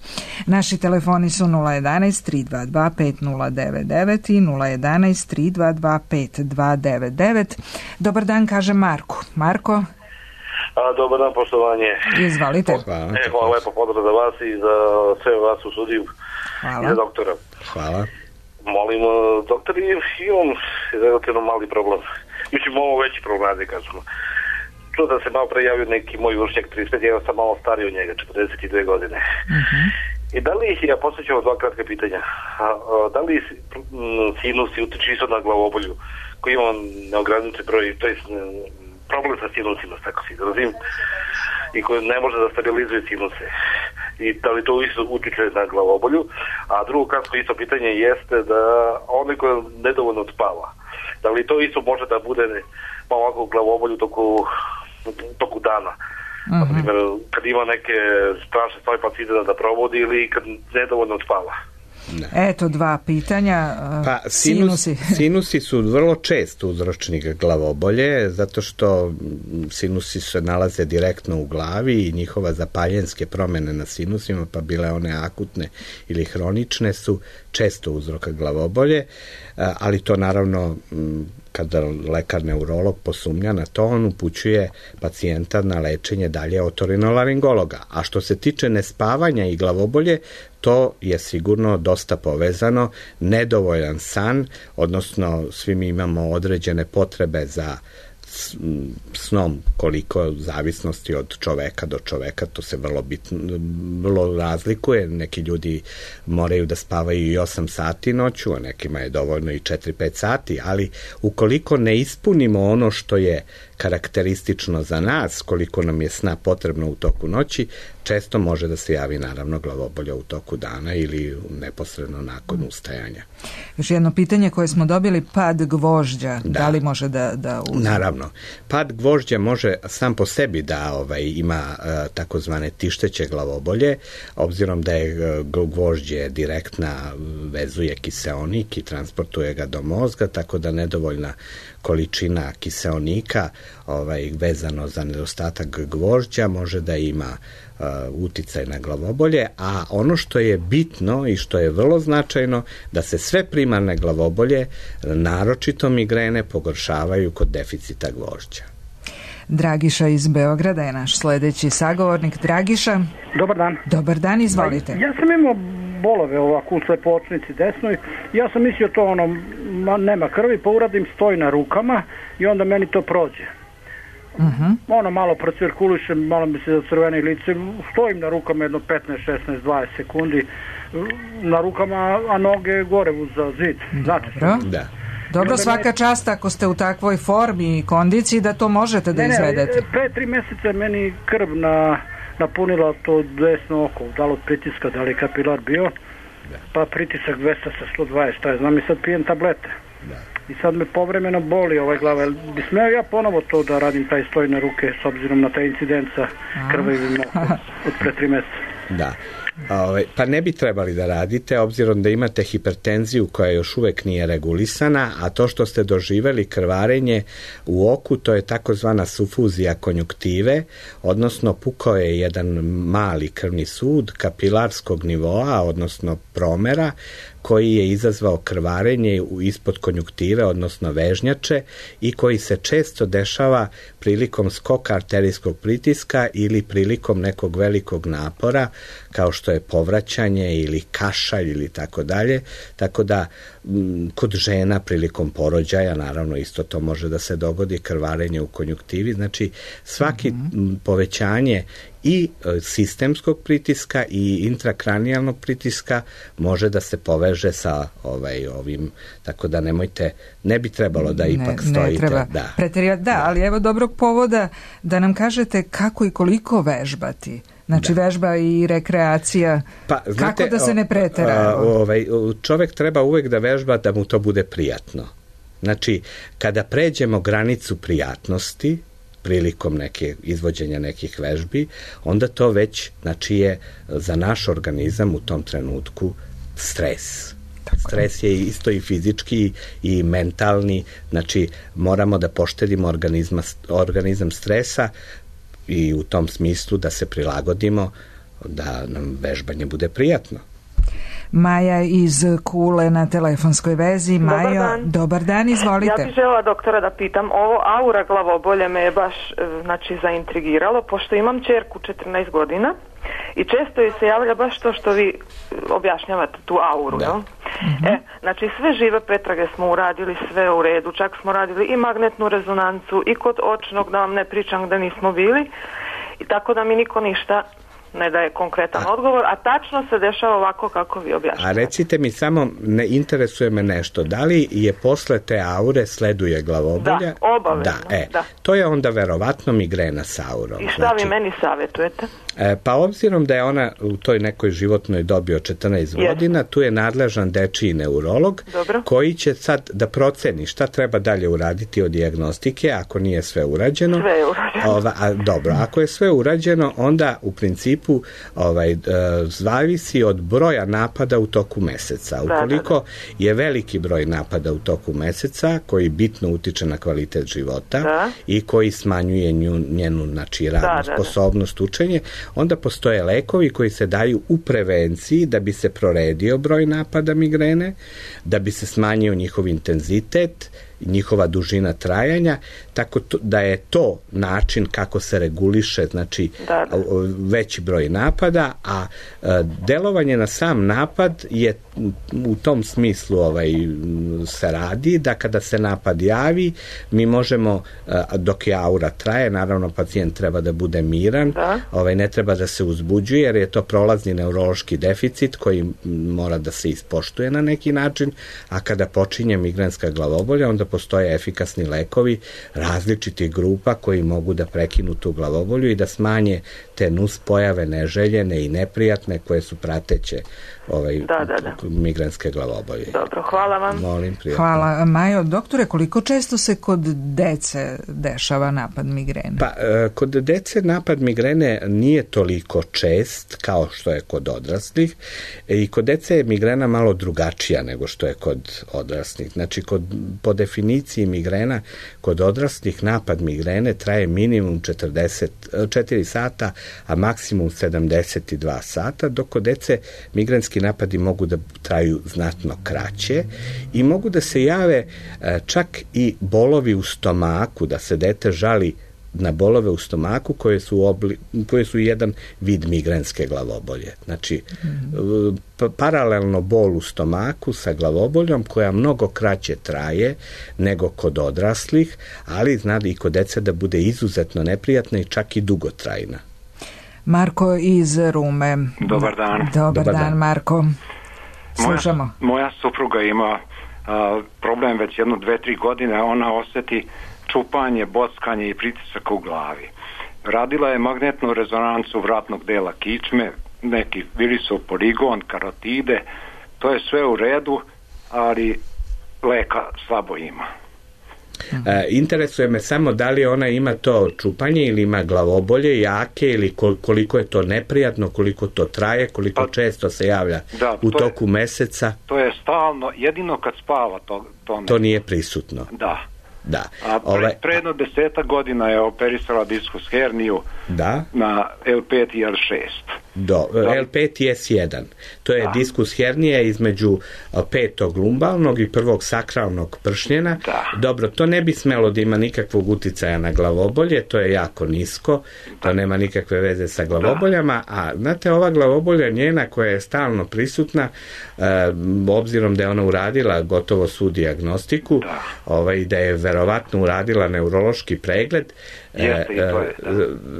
Naši telefoni su 011 322 5099 i 011 322 5299. Dobar dan, kaže Marko. Marko? Dobar dan, poštovanje. Izvalite. Hvala lepo, pozdrav za vas i za sve vas u studiju. Hvala. I za doktora. Hvala. Molim, doktor, imam relativno mali problem. Mislim, ovo veći problem, da kažemo. Čuo da se malo pre javio neki moj vršnjak 35, ja sam malo stariji od njega, 42 godine. I da li, ja postavljam dva kratka pitanja, da li sinusi utiče isto na glavobolju, koji ima neograničen broj, to je problem sa sinusima, tako se izrazim, i koji ne može da stabilizuje sinuse. I da li to isto utiče na glavobolju? A drugo kratko isto pitanje jeste da onaj koji nedovoljno spava, da li to isto može da bude malo ovako glavobolju toku dana? Na primjer, kad ima neke strašne stvari pa ide da provodi ili kad nedovoljno spava? Ne. Eto dva pitanja. Pa sinusi su vrlo čest uzročnik glavobolje, zato što sinusi se nalaze direktno u glavi i njihova zapaljenske promjene na sinusima, pa bile one akutne ili hronične, su često uzroka glavobolje, ali to naravno kada lekar neurolog posumnja na to, on upućuje pacijenta na lečenje dalje otorinolaringologa. A što se tiče nespavanja i glavobolje, to je sigurno dosta povezano. Nedovoljan san, odnosno svi mi imamo određene potrebe za snom, koliko zavisnosti od čoveka do čoveka, to se vrlo razlikuje. Neki ljudi moraju da spavaju i 8 sati noću, a nekima je dovoljno i 4-5 sati, ali ukoliko ne ispunimo ono što je karakteristično za nas, koliko nam je sna potrebno u toku noći, često može da se javi naravno glavobolja u toku dana ili neposredno nakon ustajanja. Još jedno pitanje koje smo dobili, pad gvožđa, da li može da uzme? Naravno, pad gvožđa može sam po sebi da ima takozvane tišteće glavobolje, obzirom da je gvožđe direktna vezuje kiseonik i transportuje ga do mozga, tako da nedovoljna količina kiseonika vezano za nedostatak gvožđa može da ima uticaj na glavobolje, a ono što je bitno i što je vrlo značajno, da se sve primarne glavobolje, naročito migrene, pogoršavaju kod deficita gvožđa. Dragiša iz Beograda je naš sledeći sagovornik. Dragiša. Dobar dan. Dobar dan, izvolite. Ja sam imao bolove ovako u slepočnici desnoj. Ja sam mislio to nema krvi, pa uradim stoj na rukama i onda meni to prođe. Malo procirkuliše, malo mi se zacrvene lice, stojim na rukama jedno 15, 16, 20 sekundi na rukama, a noge gore za zid. Znate što? Da. Dobro, svaka čast ako ste u takvoj formi i kondiciji da to možete da izvedete. Pre 3 meseca meni krv napunila to desno oko, da li od pritiska, da li je kapilar bio, pa pritisak 200 sa 120, šta je, znam i sad pijem tablete. I sad me povremeno boli glava. Bi smeo ja ponovo to da radim taj stoj na ruke s obzirom na taj incident sa krvavim okom od pre 3 meseca? Da. Pa ne bi trebali da radite, obzirom da imate hipertenziju koja još uvek nije regulisana, a to što ste doživeli krvarenje u oku, to je takozvana sufuzija konjuktive, odnosno pukao je jedan mali krvni sud kapilarskog nivoa, odnosno promera, koji je izazvao krvarenje ispod konjuktive, odnosno vežnjače, i koji se često dešava prilikom skoka arterijskog pritiska ili prilikom nekog velikog napora, kao što je povraćanje ili kašalj ili tako dalje. Tako da kod žena prilikom porođaja, naravno isto to može da se dogodi, krvarenje u konjuktivi. Znači svaki povećanje i sistemskog pritiska i intrakranijalnog pritiska može da se poveže sa ovim, tako da ne bi trebalo da ipak stojite. Ne treba ali evo dobrog povoda da nam kažete kako i koliko vežbati. Znači vežba i rekreacija, kako da se ne pretera? Čovek treba uvek da vežba da mu to bude prijatno. Znači, kada pređemo granicu prijatnosti, prilikom izvođenja nekih vežbi, onda to već, znači, je za naš organizam u tom trenutku stres. Stres je isto i fizički i mentalni, znači moramo da poštedimo organizam stresa i u tom smislu da se prilagodimo da nam vežbanje bude prijatno. Maja iz Kule na telefonskoj vezi. Majo, dobar dan, izvolite. Ja bih željela doktora da pitam, ovo aura glavobolje me je baš zaintrigiralo, pošto imam ćerku 14 godina i često joj se javlja baš to što vi objašnjavate, tu auru. Znači sve žive pretrage smo uradili, sve u redu, čak smo radili i magnetnu rezonancu i kod očnog, da vam ne pričam da nismo bili, i tako da mi niko ništa ne daje konkretan odgovor, a tačno se dešava ovako kako vi objašnjavate. A recite mi samo, ne interesuje me nešto, da li je posle te aure sleduje glavobolja? Da, obavezno. To je onda verovatno migrena sa aurom. I šta vi meni savjetujete? Pa obzirom da je ona u toj nekoj životnoj dobi od 14 godina, tu je nadležan dečiji neurolog koji će sad da proceni šta treba dalje uraditi od dijagnostike, ako nije sve urađeno. Sve je urađeno. Dobro, ako je sve urađeno, onda u principu zavisi od broja napada u toku meseca. Ukoliko je veliki broj napada u toku meseca, koji bitno utiče na kvalitet života i koji smanjuje njenu radnu sposobnost, učenje, onda postoje lekovi koji se daju u prevenciji da bi se proredio broj napada migrene, da bi se smanjio njihov intenzitet, njihova dužina trajanja, tako da je to način kako se reguliše, znači veći broj napada, a delovanje na sam napad je u tom smislu se radi da kada se napad javi, mi možemo, dok je aura traje, naravno pacijent treba da bude miran, ne treba da se uzbuđuje, jer je to prolazni neurološki deficit koji mora da se ispoštuje na neki način, a kada počinje migrenska glavobolja, onda postoje efikasni lekovi različitih grupa koji mogu da prekinu tu glavobolju i da smanje te nuspojave neželjene i neprijatne koje su prateće migrenske glavobolje. Dobro, hvala vam. Molim, prijatno. Hvala. Majo, doktore, koliko često se kod dece dešava napad migrene? Pa, kod dece napad migrene nije toliko čest kao što je kod odraslih i kod dece je migrena malo drugačija nego što je kod odraslih. Znači, po definiciji migrena, kod odraslih napad migrene traje minimum 4 sata, a maksimum 72 sata, dok kod dece migrenski napadi mogu da traju znatno kraće i mogu da se jave čak i bolovi u stomaku, da se dete žali na bolove u stomaku koje su jedan vid migrenske glavobolje. Znači, paralelno bol u stomaku sa glavoboljom koja mnogo kraće traje nego kod odraslih, ali zna i kod dece da bude izuzetno neprijatna i čak i dugotrajna. Marko iz Rume. Dobar dan. Dobar dan, Marko. Slušamo. Moja supruga ima problem već 1-2-3 godine, ona osjeti čupanje, bockanje i pritisak u glavi. Radila je magnetnu rezonancu vratnog dela kičme, neki virisov poligon, karotide, to je sve u redu, ali leka slabo ima. Interesuje me samo da li ona ima to čupanje ili ima glavobolje jake ili koliko je to neprijatno, koliko to traje, koliko često se javlja u toku meseca. To je stalno, jedino kad spava to nije prisutno. Da. A pre jedno 10 godina je operisala diskus herniju na L5 i L6. L5 i S1. To je diskus hernije između petog lumbalnog i prvog sakralnog pršnjena. Dobro, to ne bi smelo da ima nikakvog uticaja na glavobolje, to je jako nisko, to nema nikakve veze sa glavoboljama, a znate, ova glavobolja njena koja je stalno prisutna, obzirom da je ona uradila gotovo svu dijagnostiku, da je verovatno uradila neurološki pregled,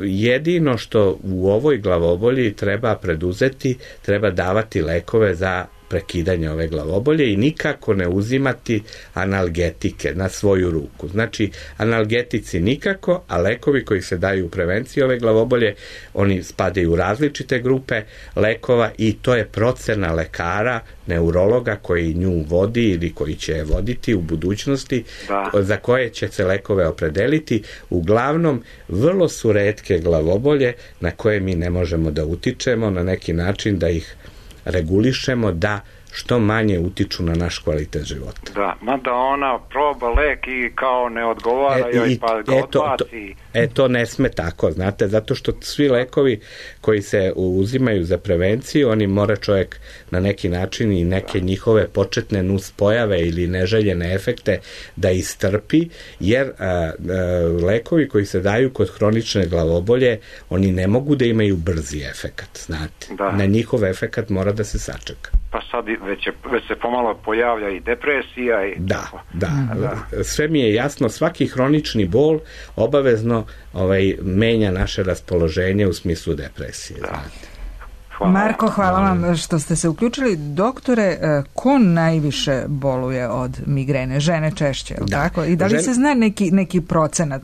jedino što u ovoj glavobolji treba preduzeti, treba davati lekove za prekidanje ove glavobolje i nikako ne uzimati analgetike na svoju ruku. Znači, analgetici nikako, a lekovi koji se daju u prevenciji ove glavobolje, oni spadaju u različite grupe lekova i to je procena lekara, neurologa koji nju vodi ili koji će je voditi u budućnosti, za koje će se lekove opredeliti. Uglavnom, vrlo su retke glavobolje na koje mi ne možemo da utičemo na neki način da ih regulišemo da što manje utiču na naš kvalitet života. Mada ona proba lek i kao ne odgovara joj pa ga odbaci. To ne sme tako, znate, zato što svi lekovi koji se uzimaju za prevenciju, oni mora čovjek na neki način i neke njihove početne nuspojave ili neželjene efekte da istrpi, jer lekovi koji se daju kod hronične glavobolje, oni ne mogu da imaju brzi efekat, znate. Na njihov efekat mora da se sačeka. Pa sad već se pomalo pojavlja i depresija. Sve mi je jasno, svaki hronični bol obavezno menja naše raspoloženje u smislu depresije. Marko, hvala vam što ste se uključili. Doktore, ko najviše boluje od migrene? Žene češće, je li tako? I da li se zna neki procenat?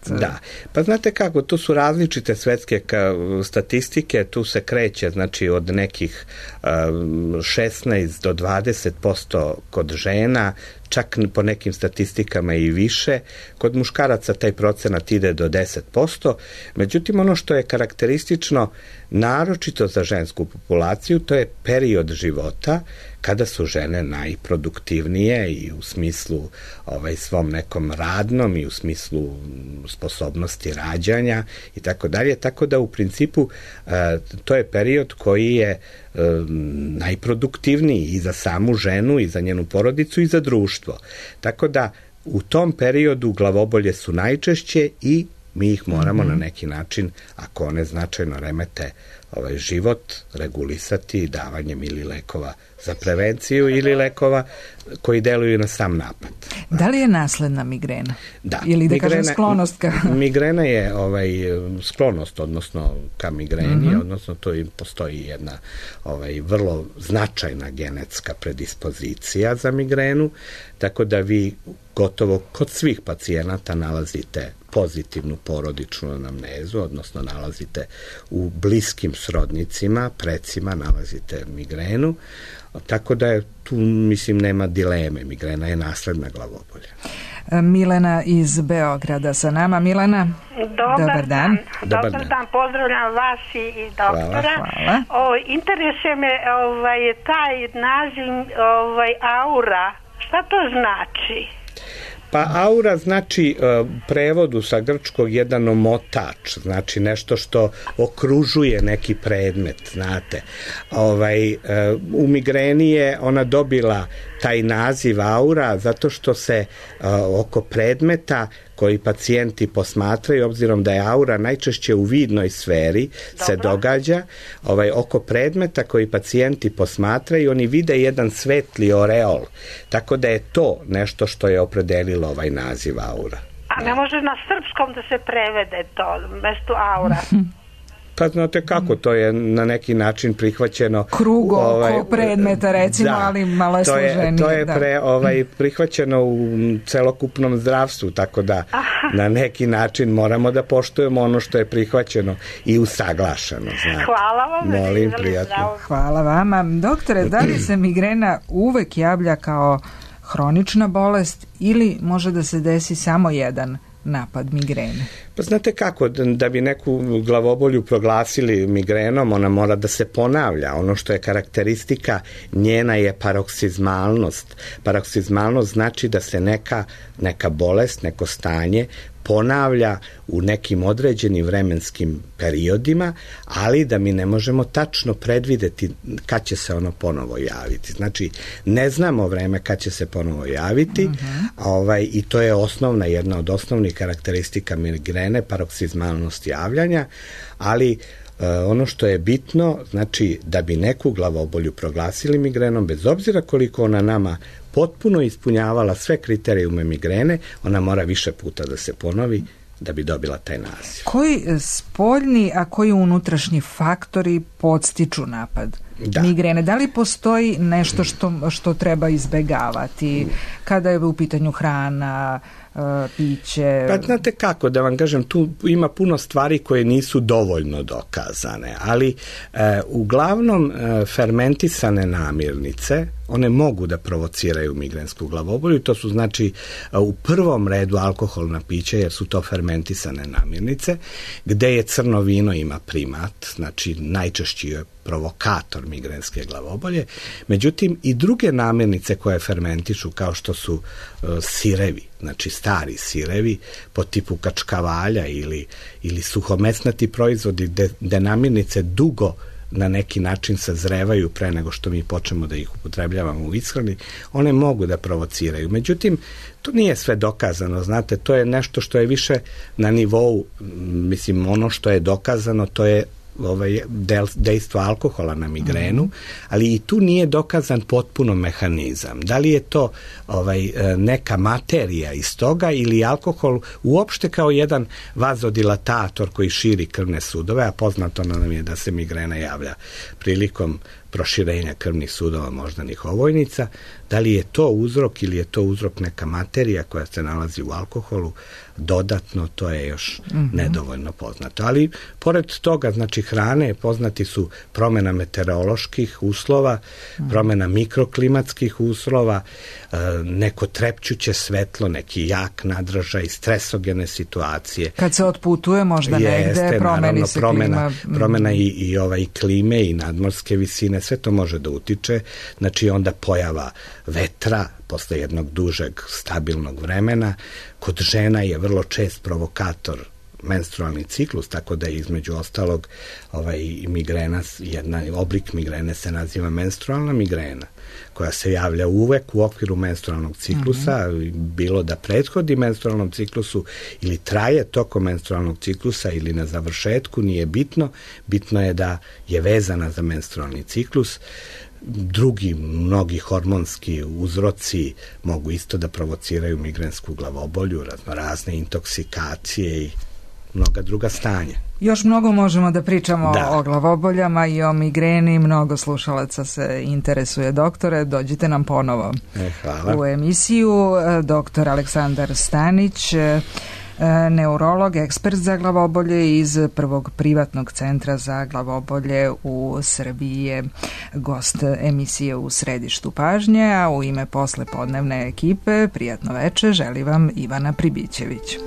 Pa znate kako, tu su različite svetske statistike, tu se kreće, znači od nekih 16 do 20% kod žena, čak po nekim statistikama i više. Kod muškaraca taj procenat ide do 10%. Međutim, ono što je karakteristično, naročito za žensku populaciju, to je period života kada su žene najproduktivnije i u smislu svom nekom radnom i u smislu sposobnosti rađanja i tako dalje. Tako da u principu to je period koji je najproduktivniji i za samu ženu i za njenu porodicu i za društvo. Tako da u tom periodu glavobolje su najčešće i mi ih moramo na neki način, ako one značajno remete život, regulisati davanjem ili lekova za prevenciju ili lekova koji deluju na sam napad. Da li je nasledna migrena? Da. Ili da kažem sklonost ka... Migrena je sklonost, odnosno ka migreni, odnosno to i postoji jedna vrlo značajna genetska predispozicija za migrenu, tako da vi gotovo kod svih pacijenata nalazite pozitivnu porodičnu anamnezu, odnosno nalazite u bliskim srodnicima, precima nalazite migrenu, tako da je tu, mislim, nema dileme, migrena je nasledna glavobolja. Milena iz Beograda sa nama. Milena, dobar dan. Dobar dan, pozdravljam vas i doktora. Hvala. Interesuje me taj naziv aura, šta to znači? Pa aura znači prevodu sa grčkog jedan omotač, znači nešto što okružuje neki predmet, znate. U migreni je ona dobila taj naziv aura zato što se oko predmeta koji pacijenti posmatraju, obzirom da je aura najčešće u vidnoj sferi se događa, oko predmeta koji pacijenti posmatraju, oni vide jedan svetli oreol, tako da je to nešto što je opredelilo ovaj naziv aura. A ne može na srpskom da se prevede to, mesto aura? Pa znate kako, to je na neki način prihvaćeno. Krug oko predmeta, recimo, ali malo je složenije. To je prihvaćeno u celokupnom zdravstvu, tako da na neki način moramo da poštujemo ono što je prihvaćeno i usaglašeno. Znači. Hvala vam. Molim, prijatno. Hvala vama. Doktore, da li se migrena uvek javlja kao hronična bolest ili može da se desi samo jedan napad migrene? Pa znate kako, da bi neku glavobolju proglasili migrenom, ona mora da se ponavlja. Ono što je karakteristika njena je paroksizmalnost. Paroksizmalnost znači da se neka bolest, neko stanje ponavlja u nekim određenim vremenskim periodima, ali da mi ne možemo tačno predvideti kad će se ono ponovo javiti. Znači, ne znamo vreme kad će se ponovo javiti, i to je jedna od osnovnih karakteristika migrene, paroksizmalnost javljanja, ali ono što je bitno, znači da bi neku glavobolju proglasili migrenom, bez obzira koliko ona nama potpuno ispunjavala sve kriterijume migrene, ona mora više puta da se ponovi da bi dobila taj naziv. Koji spoljni, a koji unutrašnji faktori podstiču napad migrene? Da li postoji nešto što treba izbegavati kada je u pitanju hrana, piće? Pa znate kako, da vam kažem, tu ima puno stvari koje nisu dovoljno dokazane, ali uglavnom fermentisane namirnice, one mogu da provociraju migrensku glavobolju, to su znači u prvom redu alkoholna pića, jer su to fermentisane namirnice, gde je crno vino ima primat, znači najčešći je provokator migrenske glavobolje. Međutim, i druge namirnice koje fermentišu, kao što su sirevi, znači stari sirevi po tipu kačkavalja ili suhomesnati proizvodi gde namirnice dugo na neki način sazrevaju pre nego što mi počnemo da ih upotrebljavamo u ishrani, one mogu da provociraju. Međutim, to nije sve dokazano, znate, to je nešto što je više na nivou, mislim, ono što je dokazano, to je dejstvo alkohola na migrenu, ali i tu nije dokazan potpuno mehanizam. Da li je to neka materija iz toga ili alkohol uopšte kao jedan vazodilatator koji širi krvne sudove, a poznato nam je da se migrena javlja prilikom proširenja krvnih sudova moždanih ovojnica. Da li je to uzrok ili je to uzrok neka materija koja se nalazi u alkoholu, dodatno to je još nedovoljno poznato. Ali pored toga, znači hrane, poznati su promjena meteoroloških uslova, promjena mikroklimatskih uslova, neko trepćuće svetlo, neki jak nadražaj, stresogene situacije. Kad se otputuje možda negde, promeni se klima. Promjena i klime i nadmorske visine, sve to može da utiče. Znači onda pojava vetra posle jednog dužeg stabilnog vremena. Kod žena je vrlo čest provokator menstrualni ciklus, tako da je između ostalog migrena, oblik migrene se naziva menstrualna migrena, koja se javlja uvek u okviru menstrualnog ciklusa, bilo da prethodi menstrualnom ciklusu ili traje tokom menstrualnog ciklusa ili na završetku, nije bitno. Bitno je da je vezana za menstrualni ciklus. Drugi, mnogi hormonski uzroci mogu isto da provociraju migrensku glavobolju, razne intoksikacije i mnoga druga stanja. Još mnogo možemo da pričamo o glavoboljama i o migreni. Mnogo slušalaca se interesuje, doktore. Dođite nam ponovo u emisiju. Doktor Aleksandar Stanić, neurolog, ekspert za glavobolje iz prvog privatnog centra za glavobolje u Srbiji, je gost emisije U središtu pažnje, a u ime poslepodnevne ekipe prijatno veče želi vam Ivana Pribićević.